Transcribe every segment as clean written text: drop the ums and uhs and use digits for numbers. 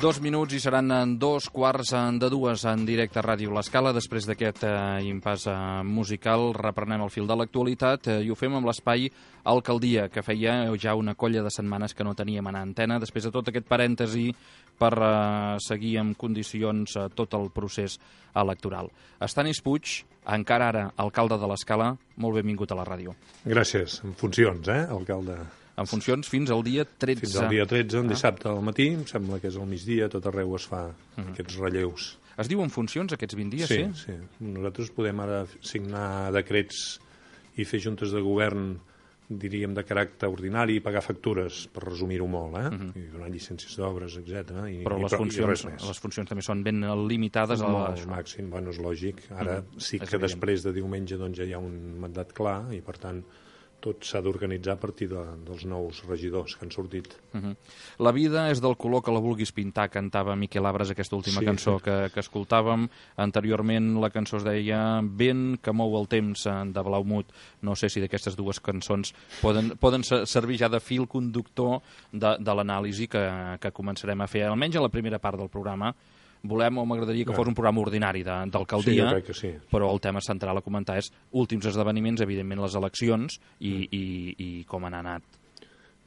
2 minuts i seran en 2:15 en directe a Ràdio L'Escala. Després d'aquest impàs musical reprenem el fil de l'actualitat i ho fem amb l'espai Alcaldia, que feia ja una colla de setmanes que no teníem en antena, després de tot aquest parèntesi per seguir en condicions tot el procés electoral. Estanis Puig, encara ara alcalde de l'Escala, molt benvingut a la ràdio. Gràcies, en funcions, alcalde. En funcions fins al dia 13. Fins al dia 13, un dissabte al matí, em sembla que és al migdia, tot arreu es fa aquests relleus. Es diu en funcions aquests 20 dies, sí? Sí. Nosaltres podem ara signar decrets i fer juntes de govern, diríem, de caràcter ordinari i pagar factures, per resumir-ho molt, i donar llicències d'obres, etc. Però les funcions també són ben limitades. Al màxim, bueno, és lògic. Ara sí que després de diumenge ja hi ha un mandat clar i, per tant, tot s'ha d'organitzar a partir dels nous regidors que han sortit. La vida és del color que la vulguis pintar, cantava Miquel Abres, aquesta última cançó que escoltàvem. Anteriorment la cançó es deia Vent que mou el temps, de Blaumut. No sé si d'aquestes dues cançons poden servir ja de fil conductor de l'anàlisi que començarem a fer, almenys a la primera part del programa. M'agradaria que fos un programa ordinari d'alcaldia, però el tema central a comentar és últims esdeveniments, evidentment les eleccions i com han anat.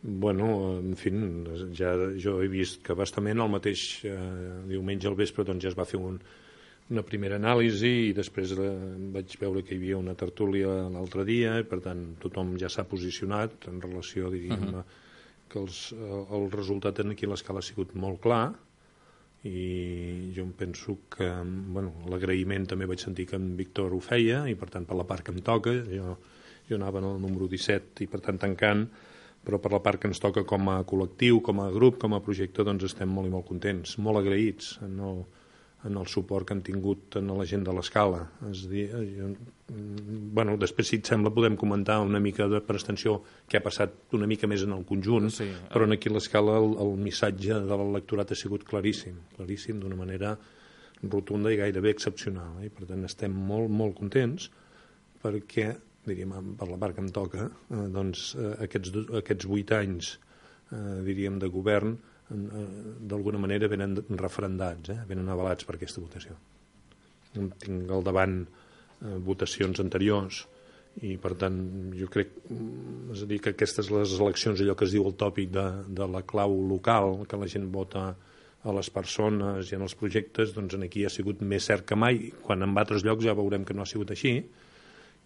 Bueno, en fi, jo he vist que bastament el mateix diumenge al vespre ja es va fer una primera anàlisi i després vaig veure que hi havia una tertúlia l'altre dia i, per tant, tothom ja s'ha posicionat en relació, diríem, que el resultat aquí a l'Escala ha sigut molt clar. I jo em penso que l'agraïment també vaig sentir que en Víctor ho feia i per tant per la part que em toca jo anava en el número 17 i per tant tancant, però per la part que ens toca com a col·lectiu, com a grup, com a projecte, doncs estem molt i molt contents, molt agraïts en el suport que han tingut en la gent de l'Escala. És a dir, després, si et sembla, podem comentar una mica per extensió què ha passat una mica més en el conjunt, però aquí a l'Escala el missatge de l'electorat ha sigut claríssim d'una manera rotunda i gairebé excepcional. I per tant estem molt, molt contents perquè, diríem, per la part que em toca, aquests 8 anys, diríem, de govern d'alguna manera venen referendats, venen avalats per aquesta votació. Tinc al davant votacions anteriors i, per tant, jo crec, és a dir, que aquestes les eleccions, allò que es diu el tòpic de la clau local, que la gent vota a les persones i en els projectes, doncs aquí ha sigut més cert que mai, quan en altres llocs ja veurem que no ha sigut així,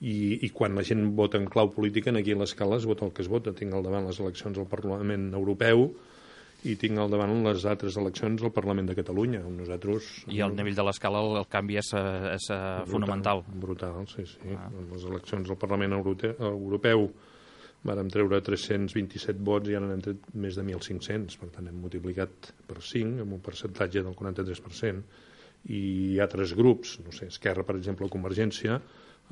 i quan la gent vota en clau política, aquí a l'Escala es vota el que es vota. Tinc al davant les eleccions al Parlament Europeu i tinc al davant les altres eleccions al Parlament de Catalunya. I al nivell de l'Escala el canvi és fonamental. Brutal, sí. Les eleccions al Parlament Europeu vàrem treure 327 vots i ara n'hem tret més de 1.500, per tant hem multiplicat per 5 amb un percentatge del 43%, i altres grups, no sé, Esquerra, per exemple, o Convergència,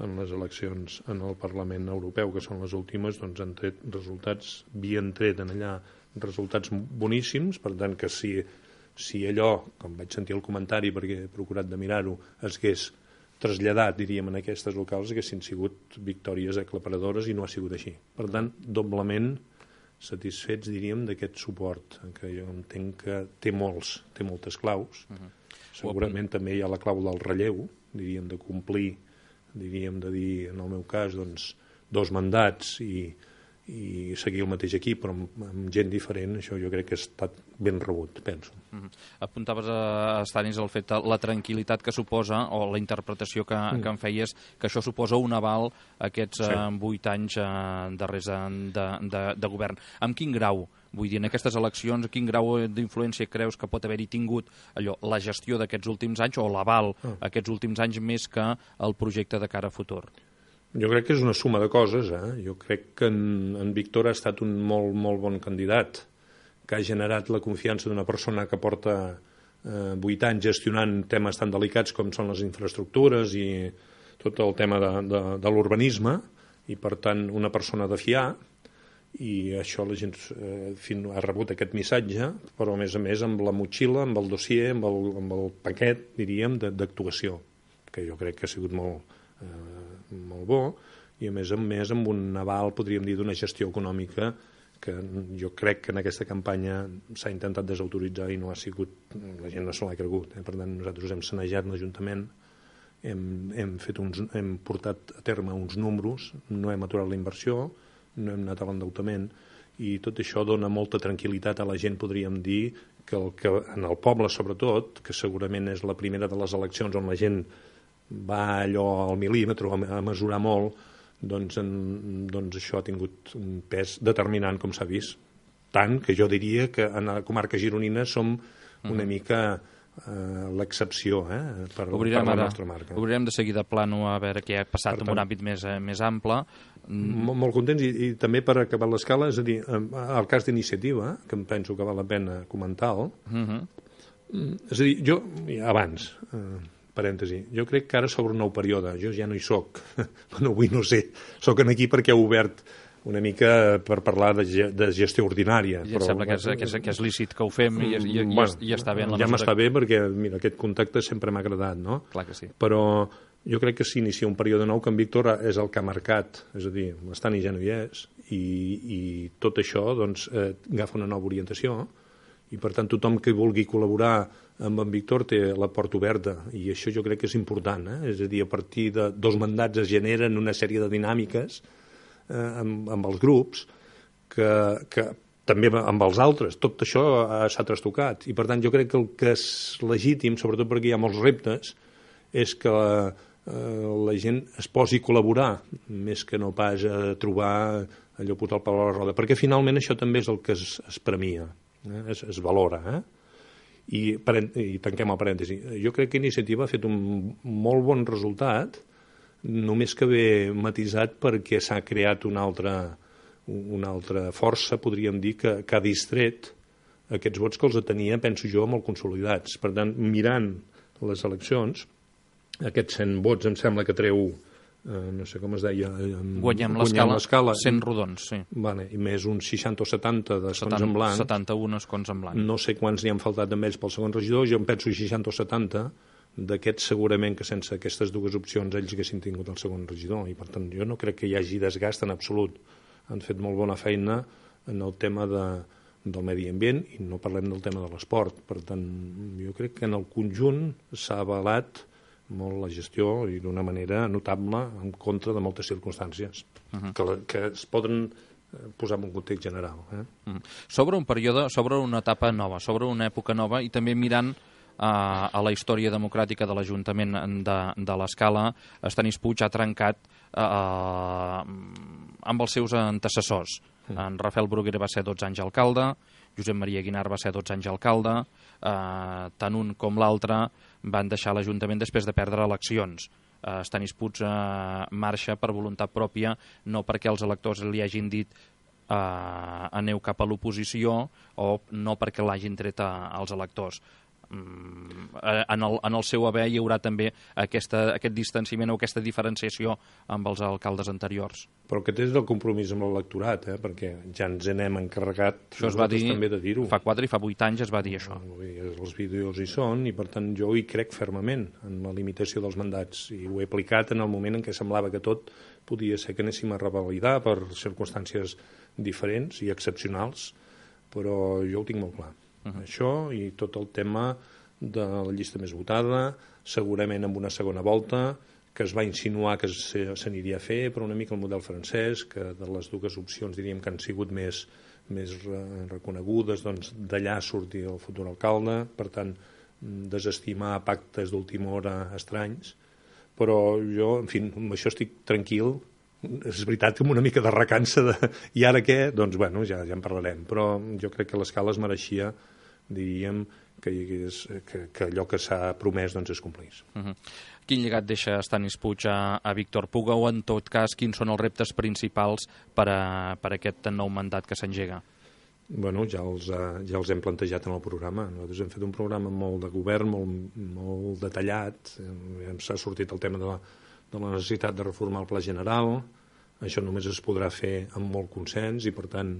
en les eleccions en el Parlament Europeu, que són les últimes, doncs han tret resultats, havien tret en allà resultats boníssims, per tant que si allò, com vaig sentir el comentari perquè he procurat de mirar-ho, es hagués traslladat, diríem, en aquestes locals, haguessin sigut victòries aclaparadores i no ha sigut així. Per tant, doblement satisfets, diríem, d'aquest suport, que jo entenc que té moltes claus. Segurament també hi ha la clau del relleu, diríem, de complir, diríem, de dir, en el meu cas, doncs, 2 mandats i seguir el mateix equip, però amb gent diferent, això jo crec que ha estat ben rebut, penso. Apuntaves a Estanis el fet, la tranquil·litat que suposa, o la interpretació que en feies, que això suposa un aval aquests 8 anys darrers de govern. Amb quin grau? Vull dir, en aquestes eleccions, quin grau d'influència creus que pot haver-hi tingut la gestió d'aquests últims anys o l'aval aquests últims anys més que el projecte de cara a futur? Jo crec que és una suma de coses. Jo crec que en Víctor ha estat un molt, molt bon candidat, que ha generat la confiança d'una persona que porta 8 anys gestionant temes tan delicats com són les infraestructures i tot el tema de l'urbanisme, i per tant una persona de fiar, i això la gent ha rebut aquest missatge, però a més amb la motxilla, amb el dossier, amb el paquet, diríem, d'actuació, que jo crec que ha sigut molt bo, i a més amb un aval, podríem dir, d'una gestió econòmica que jo crec que en aquesta campanya s'ha intentat desautoritzar i no ha sigut, la gent no se l'ha cregut. Per tant, nosaltres hem sanejat l'Ajuntament, hem portat a terme uns números, no hem aturat la inversió, no hem anat a l'endeutament, i tot això dona molta tranquil·litat a la gent, podríem dir, que en el poble sobretot, que segurament és la primera de les eleccions on la gent va allò al mil·límetre a mesurar molt, doncs això ha tingut un pes determinant, com s'ha vist. Tant que jo diria que en la comarca gironina som una mica l'excepció per la nostra marca. Obrirem de seguida plano a veure què ha passat en un àmbit més ample. Molt contents, i també per acabar l'escala, és a dir, el cas d'iniciativa, que em penso que val la pena comentar-ho, és a dir, jo, abans, parèntesi, jo crec que ara s'obre un nou període, jo ja no hi soc, avui no sé, soc aquí perquè he obert una mica per parlar de gestió ordinària. I em sembla que és lícit que ho fem i està bé en la ja m'està bé perquè, mira, aquest contacte sempre m'ha agradat, no? Clar que sí. Però jo crec que s'inicia un període nou que en Víctor és el que ha marcat, és a dir, l'Estany ja no hi és, i tot això doncs, agafa una nova orientació, i per tant tothom que vulgui col·laborar amb en Víctor té la porta oberta, i això jo crec que és important, és a dir, a partir de 2 mandats es generen una sèrie de dinàmiques amb els grups que també amb els altres, tot això s'ha trastocat, i per tant jo crec que el que és legítim, sobretot perquè hi ha molts reptes, és que la gent es posi a col·laborar més que no pas a trobar allò posar el pal a la roda, perquè finalment això també és el que es premia, es valora, I tanquem el parèntesi. Jo crec que Iniciativa ha fet un molt bon resultat, només que ve matisat perquè s'ha creat una altra força, podríem dir, que ha distret aquests vots que els tenia, penso jo, molt consolidats. Per tant, mirant les eleccions, aquests 100 vots em sembla que treu, no sé com es deia... Guanyem l'escala 100 rodons, sí. Vale, i més uns 60 o 70 d'escons en blanc. 71 escons en blanc. No sé quants n'hi han faltat amb ells pel segon regidor, jo em penso 60 o 70, d'aquests segurament que sense aquestes 2 opcions ells haguessin tingut el segon regidor, i per tant jo no crec que hi hagi desgast en absolut. Han fet molt bona feina en el tema del medi ambient, i no parlem del tema de l'esport. Per tant, jo crec que en el conjunt s'ha avalat molt la gestió, i d'una manera notable, en contra de moltes circumstàncies que es poden posar en un context general. Sobre un període, sobre una etapa nova, sobre una època nova, i també mirant a la història democràtica de l'Ajuntament de l'Escala, Estanis Puig ha trencat amb els seus antecessors. En Rafael Bruguera va ser 12 anys alcalde, Josep Maria Guinar va ser 12 anys alcalde, tant un com l'altre van deixar l'Ajuntament després de perdre eleccions. Estanis Puig marxa per voluntat pròpia, no perquè els electors li hagin dit aneu cap a l'oposició, o no perquè l'hagin tret als electors. En el seu haver hi haurà també aquest distanciament o aquesta diferenciació amb els alcaldes anteriors. Però aquest és el compromís amb l'electorat, perquè ja ens n'hem encarregat, això es va dir també de dir-ho. Fa 4 i fa 8 anys es va dir això. Els vídeos hi són, i per tant jo hi crec fermament en la limitació dels mandats, i ho he aplicat en el moment en què semblava que tot podia ser que anéssim a revalidar per circumstàncies diferents i excepcionals, però jo ho tinc molt clar. Això i tot el tema de la llista més votada, segurament amb una segona volta, que es va insinuar que s'aniria a fer, però una mica el model francès, que de les 2 opcions diríem que han sigut més reconegudes, doncs d'allà sortir el futur alcalde, per tant, desestimar pactes d'última hora estranys, però jo, en fi, amb això estic tranquil. És veritat que amb una mica de recança i ara què? Doncs bueno, ja en parlarem, però jo crec que l'Escala es mereixia, diríem, que allò que s'ha promès doncs es complís. Quin llegat deixa Estanis Puig a Víctor Puga, o en tot cas quins són els reptes principals per aquest nou mandat que s'engega? Bueno, ja els hem plantejat en el programa. Nosaltres hem fet un programa molt de govern, molt detallat. S'ha sortit el tema de la necessitat de reformar el Pla General. Això només es podrà fer amb molt consens, i per tant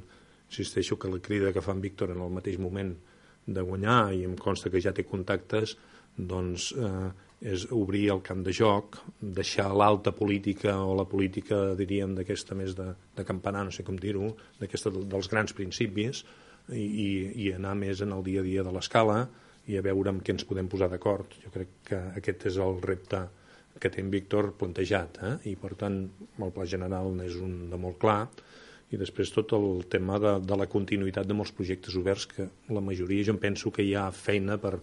insisteixo que la crida que fa en Víctor en el mateix moment de guanyar, i em consta que ja té contactes, doncs és obrir el camp de joc, deixar l'alta política o la política, diríem, d'aquesta més de campanar, no sé com dir-ho, d'aquesta dels grans principis, i anar més en el dia a dia de l'escala i a veure amb què ens podem posar d'acord. Jo crec que aquest és el repte que té en Víctor plantejat, i per tant el pla general és un de molt clar, i després tot el tema de la continuïtat de molts projectes oberts, que la majoria jo em penso que hi ha feina per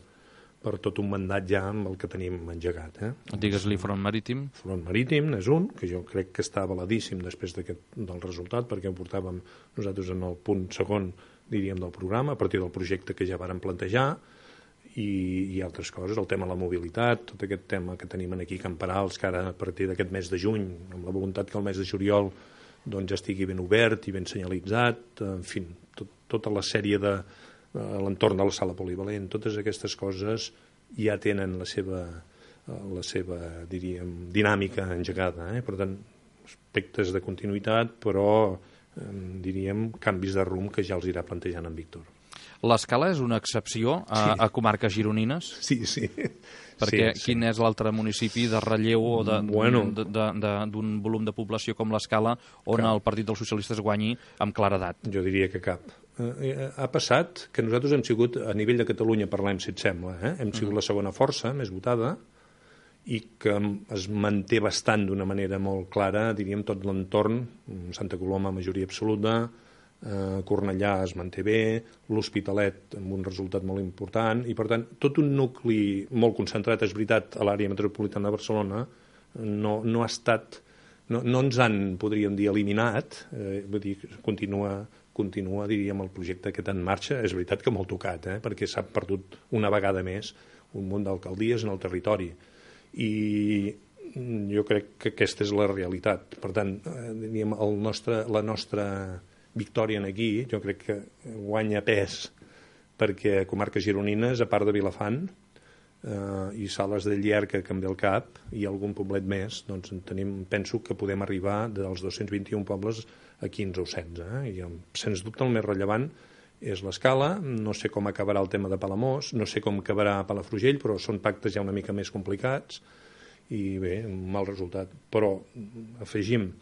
tot un mandat ja amb el que tenim engegat. Digues-li Front Marítim. Front Marítim és un, que jo crec que està avaladíssim després del resultat, perquè ho portàvem nosaltres en el punt segon, diríem, del programa, a partir del projecte que ja vàrem plantejar, i altres coses, el tema de la mobilitat, tot aquest tema que tenim aquí a Camperals, que ara a partir d'aquest mes de juny, amb la voluntat que el mes de juliol doncs ja estigui ben obert i ben senyalitzat, en fi, tota la sèrie de l'entorn de la sala polivalent, totes aquestes coses ja tenen la seva diríem, dinàmica engegada. Per tant, aspectes de continuïtat, però diríem canvis de rumb que ja els irà plantejant en Víctor. L'Escala és una excepció a comarques gironines? Sí. Perquè quin és l'altre municipi de relleu o d'un volum de població com l'Escala on el Partit dels Socialistes guanyi amb claredat? Jo diria que cap. Ha passat que nosaltres hem sigut, a nivell de Catalunya parlem, si et sembla, hem sigut la segona força més votada i que es manté bastant d'una manera molt clara, diríem, tot l'entorn, Santa Coloma majoria absoluta, Cornellà es manté bé, l'Hospitalet amb un resultat molt important, i per tant tot un nucli molt concentrat, és veritat, a l'àrea metropolitana de Barcelona no ha estat, no ens han, podríem dir, eliminat, vull dir, continua, diríem, el projecte aquest en marxa. És veritat que molt tocat, perquè s'ha perdut una vegada més un munt d'alcaldies en el territori, i jo crec que aquesta és la realitat. Per tant, diríem, la nostra victòria aquí, jo crec que guanya pes, perquè comarques gironines, a part de Vilafant i Sales de Llierca, que em ve al cap, i algun poblet més, doncs penso que podem arribar dels 221 pobles a 15 o 16. I sens dubte el més rellevant és l'Escala. No sé com acabarà el tema de Palamós, no sé com acabarà Palafrugell, però són pactes ja una mica més complicats, i bé, un mal resultat. Però afegim,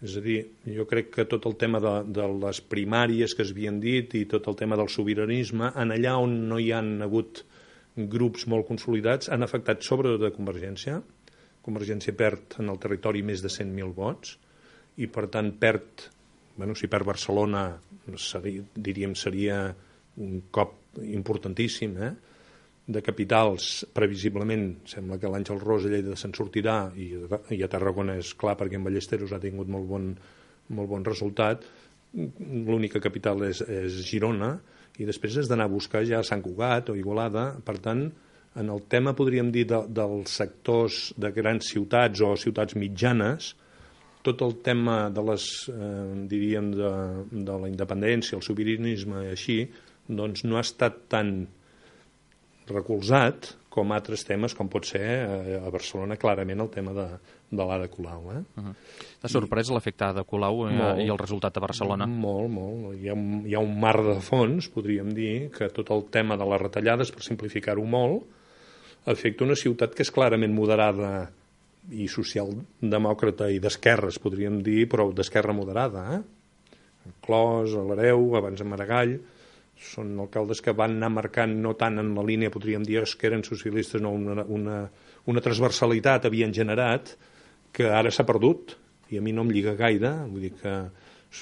és a dir, jo crec que tot el tema de les primàries que es havien dit i tot el tema del sobiranisme, en allà on no hi han hagut grups molt consolidats, han afectat sobretot a Convergència. Convergència perd en el territori més de 100.000 vots i, per tant, si perd Barcelona, seria un cop importantíssim, de capitals, previsiblement, sembla que l'Àngel Ros a Lleida se'n sortirà, i a Tarragona és clar perquè en Ballesteros ha tingut molt bon resultat. L'única capital és Girona, i després has d'anar a buscar ja Sant Cugat o Igualada. Per tant, en el tema, podríem dir, dels sectors de grans ciutats o ciutats mitjanes, tot el tema de les, diríem, de la independència, el sobiranisme i així, doncs no ha estat tan recolzat com altres temes, com pot ser a Barcelona, clarament, el tema de l'Ada Colau. T'ha sorprès l'efecte Ada Colau i el resultat a Barcelona? Molt. Hi ha un mar de fons, podríem dir, que tot el tema de les retallades, per simplificar-ho molt, afecta una ciutat que és clarament moderada i socialdemòcrata i d'esquerres, podríem dir, però d'esquerra moderada. Clos, a l'Hereu, abans a Maragall, són alcaldes que van anar marcant no tant en la línia, podríem dir, que eren socialistes, no, una transversalitat havien generat que ara s'ha perdut, i a mi no em lliga gaire. Vull dir que,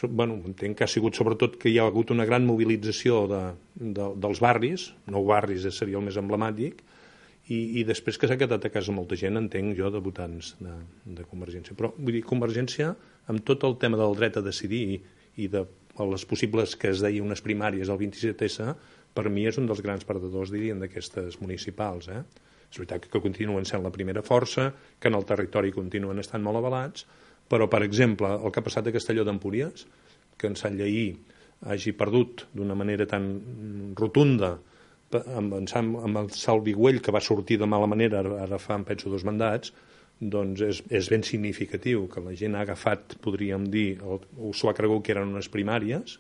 entenc que ha sigut sobretot que hi ha hagut una gran mobilització dels barris, 9 barris seria el més emblemàtic, i després que s'ha quedat a casa molta gent, entenc jo, de votants de Convergència. Però, vull dir, Convergència, amb tot el tema del dret a decidir i de les possibles, que es deia, unes primàries al 27S, per mi és un dels grans perdedors, dirien, d'aquestes municipals. És veritat que continuen sent la primera força, que en el territori continuen estant molt avalats, però, per exemple, el que ha passat a Castelló d'Empúries, que en Sant Lleí hagi perdut d'una manera tan rotunda amb el Salvi Güell, que va sortir de mala manera, ara fa, em penso, 2 mandats, doncs és ben significatiu que la gent ha agafat, podríem dir, o s'ho ha cregut que eren unes primàries,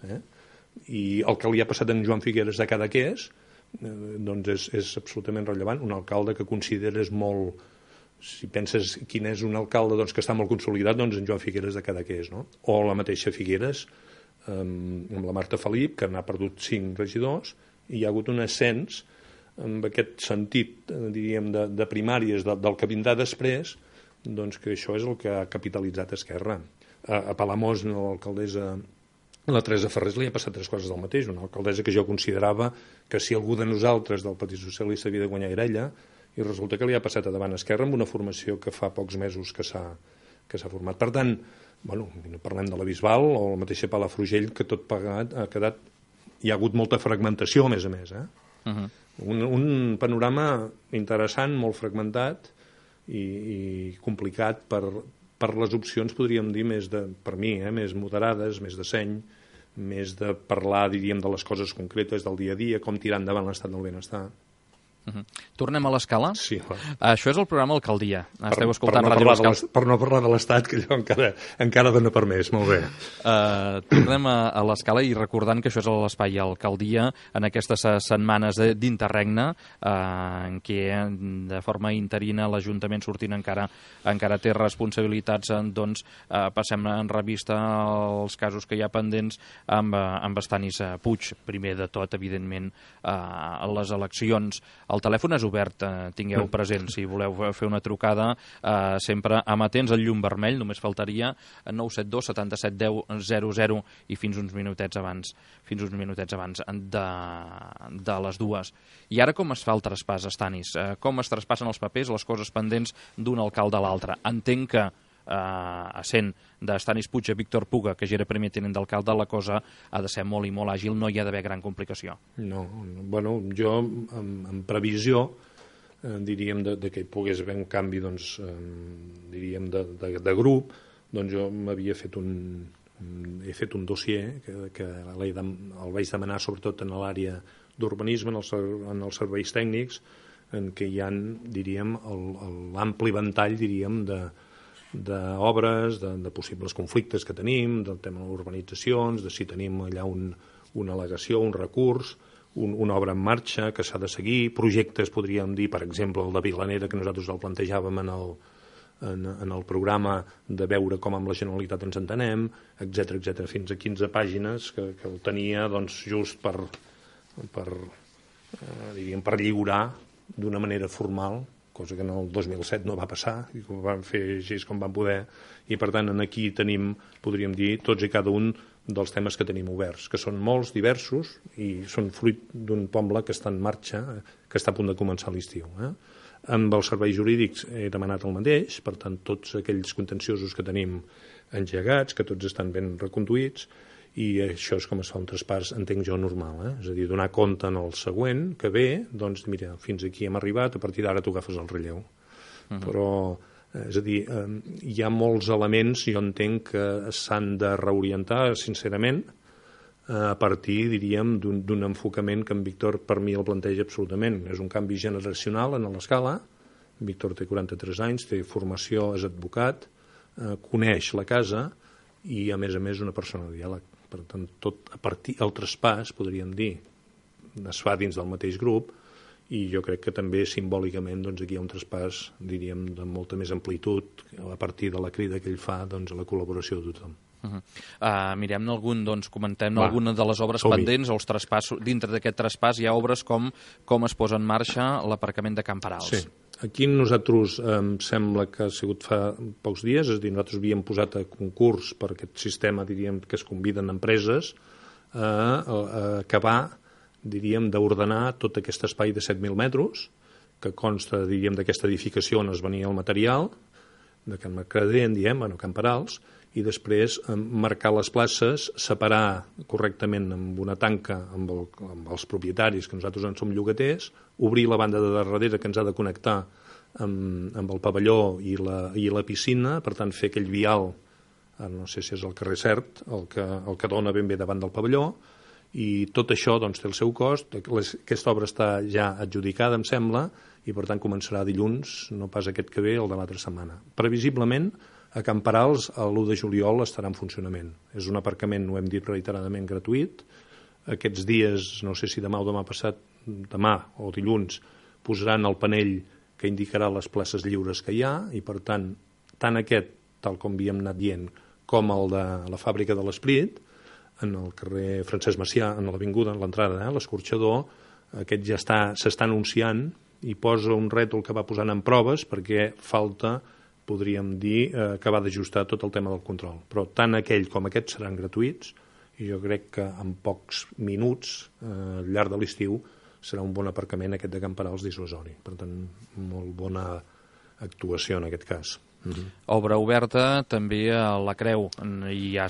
i el que li ha passat a en Joan Figueres de Cadaqués, doncs és absolutament rellevant. Un alcalde que consideres molt, si penses quin és un alcalde doncs, que està molt consolidat, doncs en Joan Figueres de Cadaqués, no? O la mateixa Figueres, amb la Marta Felip, que n'ha perdut 5 regidors, i hi ha hagut un ascens amb aquest sentit, diríem, de primàries del que vindrà després, doncs que això és el que ha capitalitzat Esquerra. A Palamós, l'alcaldessa, la Teresa Ferrés, li ha passat 3 coses del mateix. Una alcaldessa que jo considerava que si algú de nosaltres del Partit Socialista havia de guanyar era ella, i resulta que li ha passat a davant Esquerra amb una formació que fa pocs mesos que s'ha format. Per tant, bueno, no parlem de la Bisbal o la mateixa Palafrugell, que tot plegat ha quedat... Hi ha hagut molta fragmentació, a més, Un panorama interessant, molt fragmentat i complicat per les opcions, podríem dir, per mi, més moderades, més de seny, més de parlar, diríem, de les coses concretes del dia a dia, com tirar endavant l'estat del benestar. Tornem a l'Escala? Sí. Això és el programa Alcaldia. Esteu escoltant Ràdio L'Escala. Per no parlar de l'Estat, que allò encara dona per més. Molt bé. Tornem a l'Escala i recordant que això és l'espai Alcaldia en aquestes setmanes d'interregne en què de forma interina l'Ajuntament sortint encara té responsabilitats, doncs passem en revista els casos que hi ha pendents amb Estanis Puig. Primer de tot, evidentment, les eleccions. El telèfon és obert, tingueu present, si voleu fer una trucada, sempre amatents al llum vermell, només faltaria 972 77 10 00 i fins uns minutets abans de les 2. I ara com es fa el traspàs, Estanis? Com es traspassen els papers, les coses pendents d'un alcalde a l'altre? Entenc que essent d'Estanis Puig a Víctor Puga, que ja era primer tinent d'alcalde, la cosa ha de ser molt i molt àgil, no hi ha d'haver gran complicació. No, bueno, jo en previsió diríem que hi pogués haver un canvi, doncs, diríem de grup, doncs jo m'havia fet he fet un dossier que el vaig demanar sobretot en l'àrea d'urbanisme, en els serveis tècnics, en què hi ha, diríem, l'ampli ventall, diríem, d'obres, de possibles conflictes que tenim, del tema de urbanitzacions, de si tenim allà una al·legació, un recurs, una obra en marxa que s'ha de seguir, projectes, podríem dir, per exemple, el de Vilanera, que nosaltres el plantejàvem en el programa de veure com amb la Generalitat ens entenem, etc, fins a 15 pàgines que el tenia doncs, just per lliurar d'una manera formal, cosa que en el 2007 no va passar, i ho vam fer així com vam poder, i per tant aquí tenim, podríem dir, tots i cada un dels temes que tenim oberts, que són molts, diversos, i són fruit d'un poble que està en marxa, que està a punt de començar l'estiu. Amb els serveis jurídics he demanat el mateix, per tant, tots aquells contenciosos que tenim engegats, que tots estan ben reconduïts, i això és com es fa un traspàs, entenc jo, normal. És a dir, donar compte en el següent, que ve, doncs, mira, fins aquí hem arribat, a partir d'ara tu agafes el relleu. Però, és a dir, hi ha molts elements, jo entenc, que s'han de reorientar, sincerament, a partir, diríem, d'un enfocament que en Víctor, per mi, el planteja absolutament. És un canvi generacional en l'Escala. Víctor té 43 anys, té formació, és advocat, coneix la casa i, a més, una persona de diàleg. Per tant, tot a partir del traspàs, podríem dir, es fa dins del mateix grup, i jo crec que també simbòlicament doncs, aquí hi ha un traspàs, diríem, de molta més amplitud a partir de la crida que ell fa doncs, a la col·laboració de tothom. Mirem algun, doncs, comentem alguna de les obres pendents o els traspassos. Dintre d'aquest traspàs hi ha obres com es posa en marxa l'aparcament de Camperals. Sí. Aquí nosaltres, em sembla que ha sigut fa pocs dies, és a dir, nosaltres havíem posat a concurs per aquest sistema, diríem, que es conviden empreses a acabar, diríem, d'ordenar tot aquest espai de 7.000 metres, que consta, diríem, d'aquesta edificació on es venia el material, de Can Mercader, en diem, Camperals, i després marcar les places, separar correctament amb una tanca amb els propietaris, que nosaltres en som llogaters, obrir la banda de darrere que ens ha de connectar amb el pavelló i la piscina, per tant fer aquell vial, no sé si és el carrer Cert, el que dona ben bé davant del pavelló, i tot això doncs, té el seu cost. Aquesta obra està ja adjudicada, em sembla, i per tant començarà dilluns, no pas aquest que ve, el de l'altra setmana. Previsiblement, a Camperals, l'1 de juliol estarà en funcionament. És un aparcament, ho hem dit reiteradament, gratuït. Aquests dies, no sé si demà o demà passat, demà o dilluns, posaran el panell que indicarà les places lliures que hi ha, i per tant, tant aquest, tal com havíem anat dient, com el de la fàbrica de l'Esprit, en el carrer Francesc Macià, en l'avinguda, en l'entrada, l'escorxador, aquest ja s'està anunciant i posa un rètol que va posant en proves perquè falta, podríem dir, acabar d'ajustar tot el tema del control. Però tant aquell com aquest seran gratuïts i jo crec que en pocs minuts, al llarg de l'estiu, serà un bon aparcament aquest de Camperals dissuasori. Per tant, molt bona actuació en aquest cas. Obra oberta també a la Creu, i ha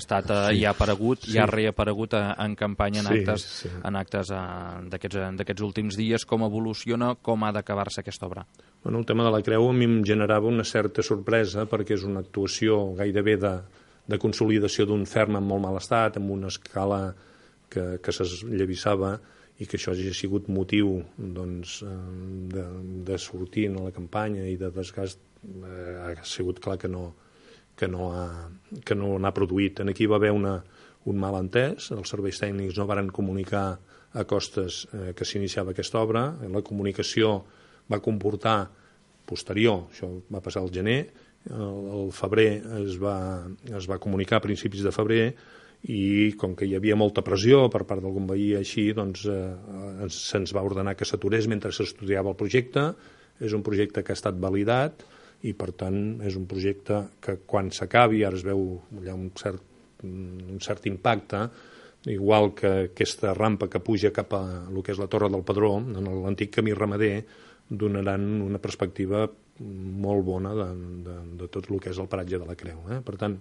aparegut, i ha reaparegut en campanya en actes d'aquests últims dies. Com evoluciona, com ha d'acabar-se aquesta obra? Bueno, el tema de la Creu a mi em generava una certa sorpresa perquè és una actuació gairebé de consolidació d'un ferm en molt mal estat, amb una escala que s'esllavissava, i que això hagi sigut motiu de sortir a la campanya i de desgast, ha sigut clar que no n'ha produït. Aquí va haver un malentès, els serveis tècnics no varen comunicar a Costes que s'iniciava aquesta obra, la comunicació va comportar posterior, això va passar al gener, al febrer es va comunicar a principis de febrer, i com que hi havia molta pressió per part d'algun veí així, doncs se'ns va ordenar que s'aturés mentre s'estudiava el projecte. És un projecte que ha estat validat i per tant és un projecte que quan s'acabi, ara es veu allà un cert impacte, igual que aquesta rampa que puja cap a el que és la Torre del Pedró, en l'antic camí ramader, donaran una perspectiva molt bona de tot el que és el paratge de la Creu. Per tant,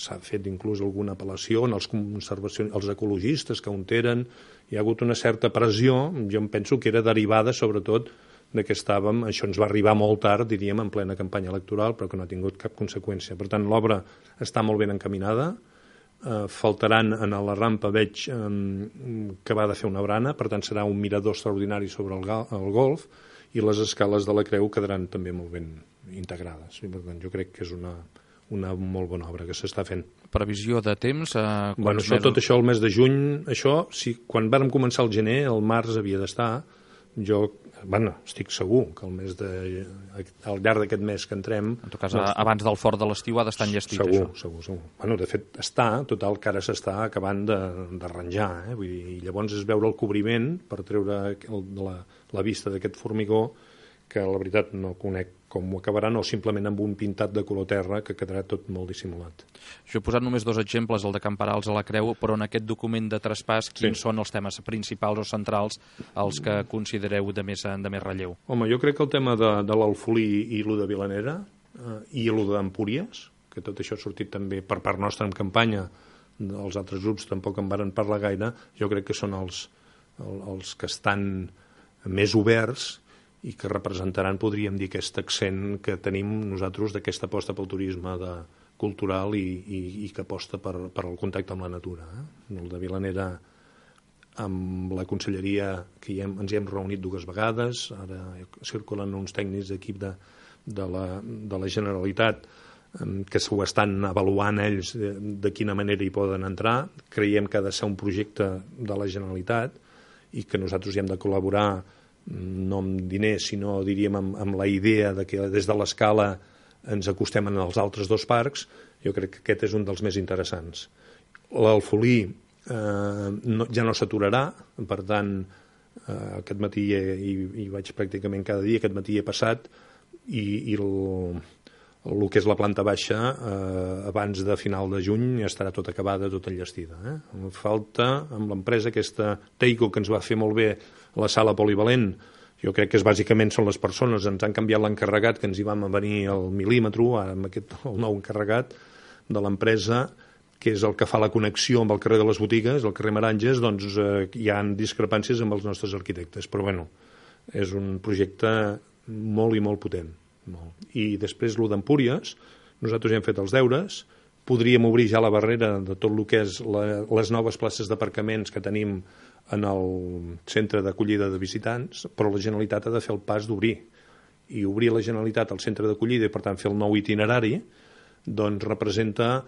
s'ha fet inclús alguna apel·lació en els ecologistes que on eren, hi ha hagut una certa pressió, jo em penso que era derivada sobretot de que estàvem, això ens va arribar molt tard, diríem, en plena campanya electoral, però que no ha tingut cap conseqüència. Per tant, l'obra està molt ben encaminada, faltaran en la rampa, veig que va de fer una brana, per tant serà un mirador extraordinari sobre el golf, i les escales de la Creu quedaran també molt ben integrades. I per tant, jo crec que és una molt bona obra que s'està fent. Previsió de temps? Tot això el mes de juny, quan vàrem començar el gener, el març havia d'estar. Jo estic segur que al llarg d'aquest mes que entrem... En tot cas, abans del fort de l'estiu ha d'estar enllestit, això. Segur. De fet, total, que ara s'està acabant d'arranjar. I llavors és veure el cobriment per treure la vista d'aquest formigó, que la veritat no conec com ho acabaran, o simplement amb un pintat de color terra que quedarà tot molt dissimulat. Jo he posat només 2 exemples, el de Camperals a la Creu, però en aquest document de traspàs, quins són els temes principals o centrals els que considereu de més relleu? Home, jo crec que el tema de l'Alfolí i el de Vilanera i el d'Empúries, que tot això ha sortit també per part nostra en campanya, els altres grups tampoc en varen parlar gaire, jo crec que són els que estan més oberts i que representaran, podríem dir, aquest accent que tenim nosaltres d'aquesta aposta pel turisme cultural i que aposta per el contacte amb la natura. El de Vilanera, amb la conselleria, que ens hi hem reunit 2 vegades, ara circulen uns tècnics d'equip de la Generalitat que s'ho estan avaluant ells de quina manera hi poden entrar. Creiem que ha de ser un projecte de la Generalitat i que nosaltres hi hem de col·laborar no amb diners, sinó, diríem, amb la idea de que des de l'escala ens acostem als altres 2 parcs. Jo crec que aquest és un dels més interessants. L'Alfolí ja no s'aturarà, per tant, aquest matí hi vaig pràcticament cada dia, aquest matí he passat, i el que és la planta baixa, abans de final de juny, estarà tot acabada, tot enllestida. Falta, amb l'empresa aquesta Teico, que ens va fer molt bé la sala polivalent, jo crec que bàsicament són les persones, ens han canviat l'encarregat, que ens hi vam venir al mil·límetre, ara amb el nou encarregat de l'empresa, que és el que fa la connexió amb el carrer de les Botigues, el carrer Maranges, doncs hi ha discrepàncies amb els nostres arquitectes, però bueno, és un projecte molt i molt potent. I després el d'Empúries, nosaltres ja hem fet els deures, podríem obrir ja la barrera de tot el que és les noves places d'aparcaments que tenim en el centre d'acollida de visitants, però la Generalitat ha de fer el pas d'obrir. I obrir la Generalitat al centre d'acollida i, per tant, fer el nou itinerari, doncs representa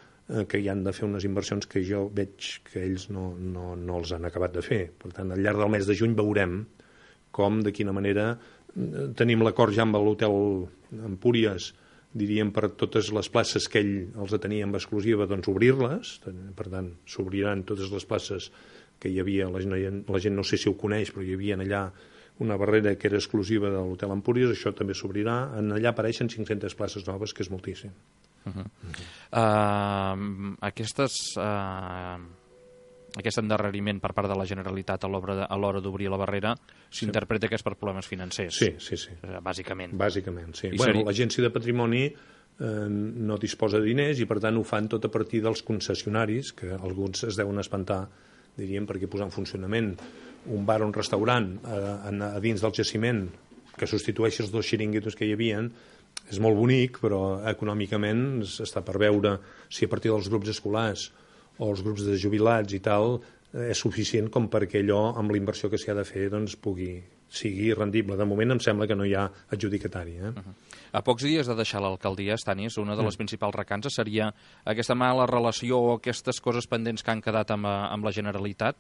que hi han de fer unes inversions que jo veig que ells no els han acabat de fer. Per tant, al llarg del mes de juny veurem com, de quina manera tenim l'acord ja amb l'hotel Empúries, diríem, per totes les places que ell els tenia amb exclusiva, doncs obrir-les. Per tant, s'obriran totes les places que hi havia. La gent no sé si ho coneix, però hi havia allà una barrera que era exclusiva de l'hotel Empúries, això també s'obrirà. Allà apareixen 500 places noves, que és moltíssim. Aquest endarreriment per part de la Generalitat a l'hora d'obrir la barrera s'interpreta que és per problemes financers. Sí. Bàsicament. Bàsicament, sí. L'Agència de Patrimoni no disposa de diners i, per tant, ho fan tot a partir dels concessionaris, que alguns es deuen espantar, diríem, perquè posar en funcionament un bar o un restaurant a dins del jaciment que substitueixi els 2 xiringuitos que hi havien és molt bonic, però econòmicament està per veure si a partir dels grups escolars o els grups de jubilats i tal, és suficient com perquè allò, amb la inversió que s'hi ha de fer, doncs sigui rendible. De moment em sembla que no hi ha adjudicatari. A pocs dies de deixar l'alcaldia, Stanis, una de les principals recances seria aquesta mala relació o aquestes coses pendents que han quedat amb la Generalitat?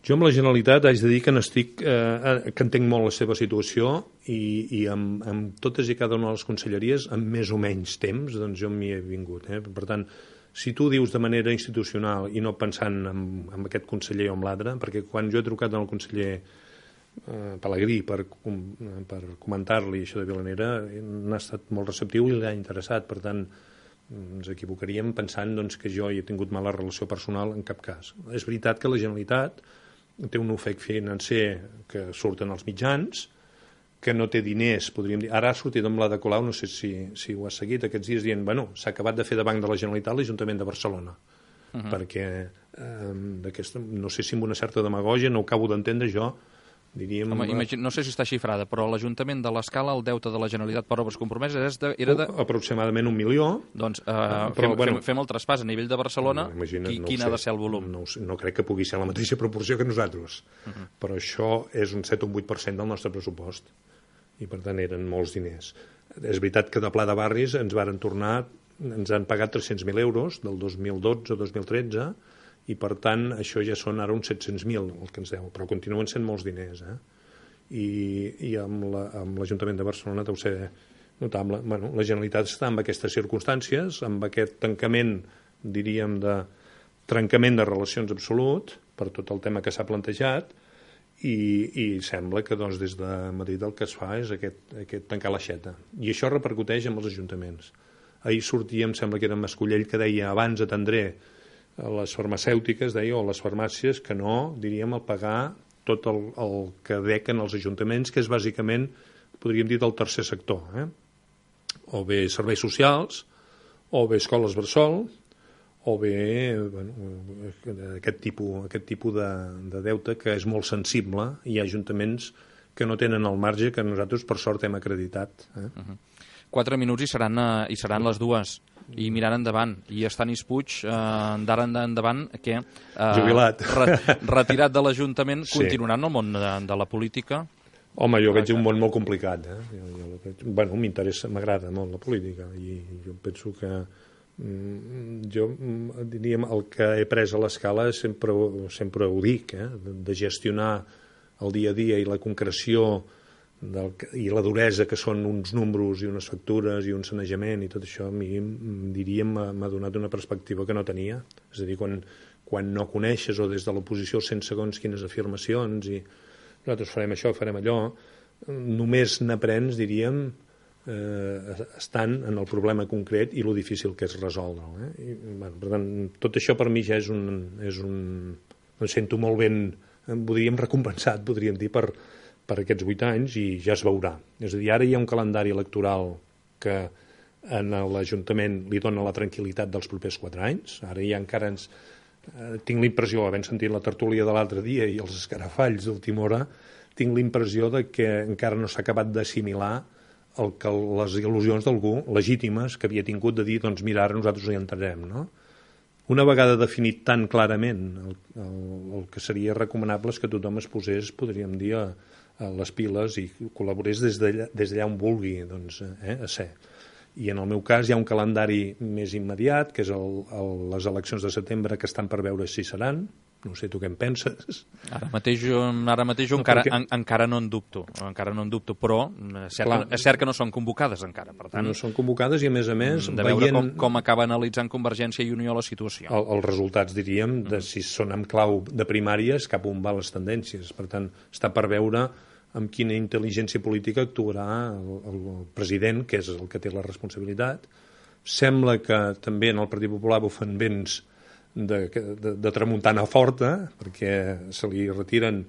Jo amb la Generalitat haig de dir que que entenc molt la seva situació i amb totes i cada una de les conselleries, amb més o menys temps, doncs jo m'hi he vingut. Per tant, si tu dius de manera institucional i no pensant en aquest conseller o en l'altre, perquè quan jo he trucat al conseller Pelegrí per comentar-li això de Vilanera, n'ha estat molt receptiu i l'ha interessat. Per tant, ens equivocaríem pensant que jo hi he tingut mala relació personal en cap cas. És veritat que la Generalitat té un ofec financer que surten als mitjans, que no té diners, podríem dir. Ara ha sortit amb l'Ada Colau, no sé si ho has seguit aquests dies, dient, s'ha acabat de fer de banc de la Generalitat l'Ajuntament de Barcelona, perquè no sé si amb una certa demagògia, no ho acabo d'entendre jo, diríem... No sé si està xifrada, però l'Ajuntament de l'Escala, el deute de la Generalitat per obres compromeses era de... Aproximadament 1 milió. Doncs fem el traspàs a nivell de Barcelona, quin ha de ser el volum? No crec que pugui ser la mateixa proporció que nosaltres, però això és un 7 o un 8% del nostre pressupost, i per tant eren molts diners. És veritat que de Pla de Barris ens han pagat 300.000 euros del 2012 o 2013, i per tant això ja són ara uns 700.000 el que ens deu, però continuen sent molts diners. I amb l'Ajuntament de Barcelona deu ser notable. La Generalitat està en aquestes circumstàncies, amb aquest tancament, diríem, de trencament de relacions absolut, per tot el tema que s'ha plantejat, i sembla que des de Madrid el que es fa és aquest tancar l'aixeta. I això repercuteix en els ajuntaments. Ahir sortia, em sembla que era Mascollell, que deia abans atendré a les farmacèutiques, o les farmàcies, que no, diríem, al pagar tot el que dequen els ajuntaments, que és bàsicament, podríem dir, del tercer sector. O bé serveis socials, o bé escoles bressol, o bé aquest tipus de deute que és molt sensible. Hi ha ajuntaments que no tenen el marge que nosaltres, per sort, hem acreditat. 4 minuts i seran les 2. I mirant endavant. I Stanis Puig, d'ara endavant, que jubilat, retirat de l'Ajuntament, continuarà en el món de la política? Home, jo veig un món molt complicat. M'interessa, m'agrada molt la política, i jo penso que jo diríem el que he pres a l'Escala sempre ho dic, de gestionar el dia a dia i la concreció i la duresa que són uns números i unes factures i un sanejament i tot això, a mi diríem m'ha donat una perspectiva que no tenia. És a dir, quan no coneixes o des de l'oposició sent segons quines afirmacions i nosaltres farem això, farem allò, només n'aprens, diríem, estant en el problema concret i lo difícil que és resoldre'l. Per tant, tot això per mi ja és em sento molt ben, podríem recompensat, podríem dir, per aquests 8 anys, i ja es veurà. És a dir, ara hi ha un calendari electoral que a l'Ajuntament li dona la tranquil·litat dels propers 4 anys. Ara ja encara tinc l'impressió, havent sentit la tertúlia de l'altre dia i els escarafalls d'última hora, tinc l'impressió que encara no s'ha acabat d'assimilar les il·lusions d'algú legítimes que havia tingut de dir, doncs mira, ara nosaltres hi entrarem, no? Una vegada definit tan clarament el que seria recomanable és que tothom es posés, podríem dir, a les piles i col·laborés des d'allà on vulgui, doncs, a ser. I en el meu cas hi ha un calendari més immediat, que és les eleccions de setembre, que estan per veure si seran, No sé, tu què en penses? Ara mateix jo encara no en dubto, però és cert que no són convocades encara, per tant... No són convocades i, a més, de veure com acaba analitzant Convergència i Unió la situació. Els resultats, diríem, de si són en clau de primàries, cap on van les tendències. Per tant, està per veure amb quina intel·ligència política actuarà el president, que és el que té la responsabilitat. Sembla que també en el Partit Popular bufen vents de tramuntana forta, perquè se li retiren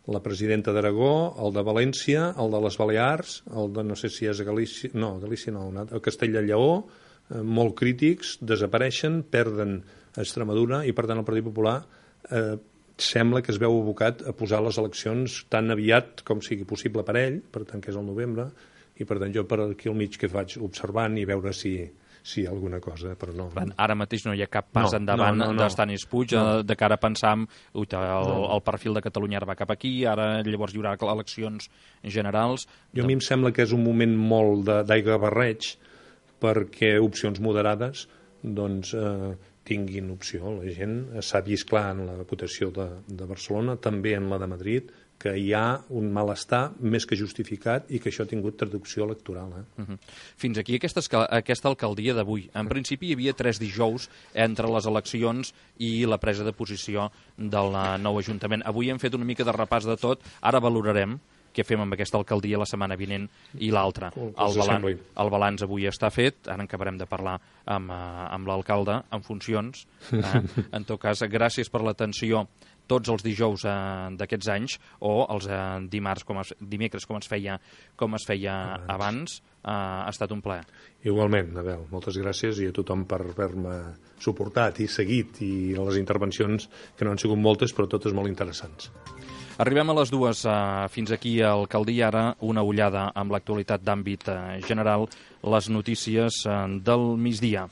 la presidenta d'Aragó, el de València, el de les Balears, el de no sé si és Galícia, no, el Castella i Lleó, molt crítics, desapareixen, perden Extremadura i, per tant, el Partit Popular sembla que es veu abocat a posar les eleccions tan aviat com sigui possible per ell, per tant, que és el novembre, i per tant jo per aquí al mig que faig observant i veure si hi ha alguna cosa, però no. Ara mateix no hi ha cap pas endavant d'Estanis Puig, de cara a pensar el perfil de Catalunya ara va cap aquí, ara llavors hi haurà eleccions generals. A mi em sembla que és un moment molt d'aigua barreig perquè opcions moderades doncs tinguin opció. La gent s'ha vist clar en la votació de Barcelona, també en la de Madrid, que hi ha un malestar més que justificat i que això ha tingut traducció electoral. Fins aquí aquesta alcaldia d'avui. En principi hi havia 3 dijous entre les eleccions i la presa de posició del nou Ajuntament. Avui hem fet una mica de repàs de tot, ara valorarem què fem amb aquesta alcaldia la setmana vinent i l'altra. El balanç avui està fet, ara en acabarem de parlar amb l'alcalde en funcions. En tot cas, gràcies per l'atenció tots els dijous d'aquests anys o els dimecres com es feia abans. Ha estat un plaer. Igualment, Abel, moltes gràcies i a tothom per haver-me suportat i seguit i les intervencions que no han sigut moltes però totes molt interessants. Arribem a les 2, fins aquí a Alcaldia, ara una ullada amb l'actualitat d'àmbit general, les notícies del migdia.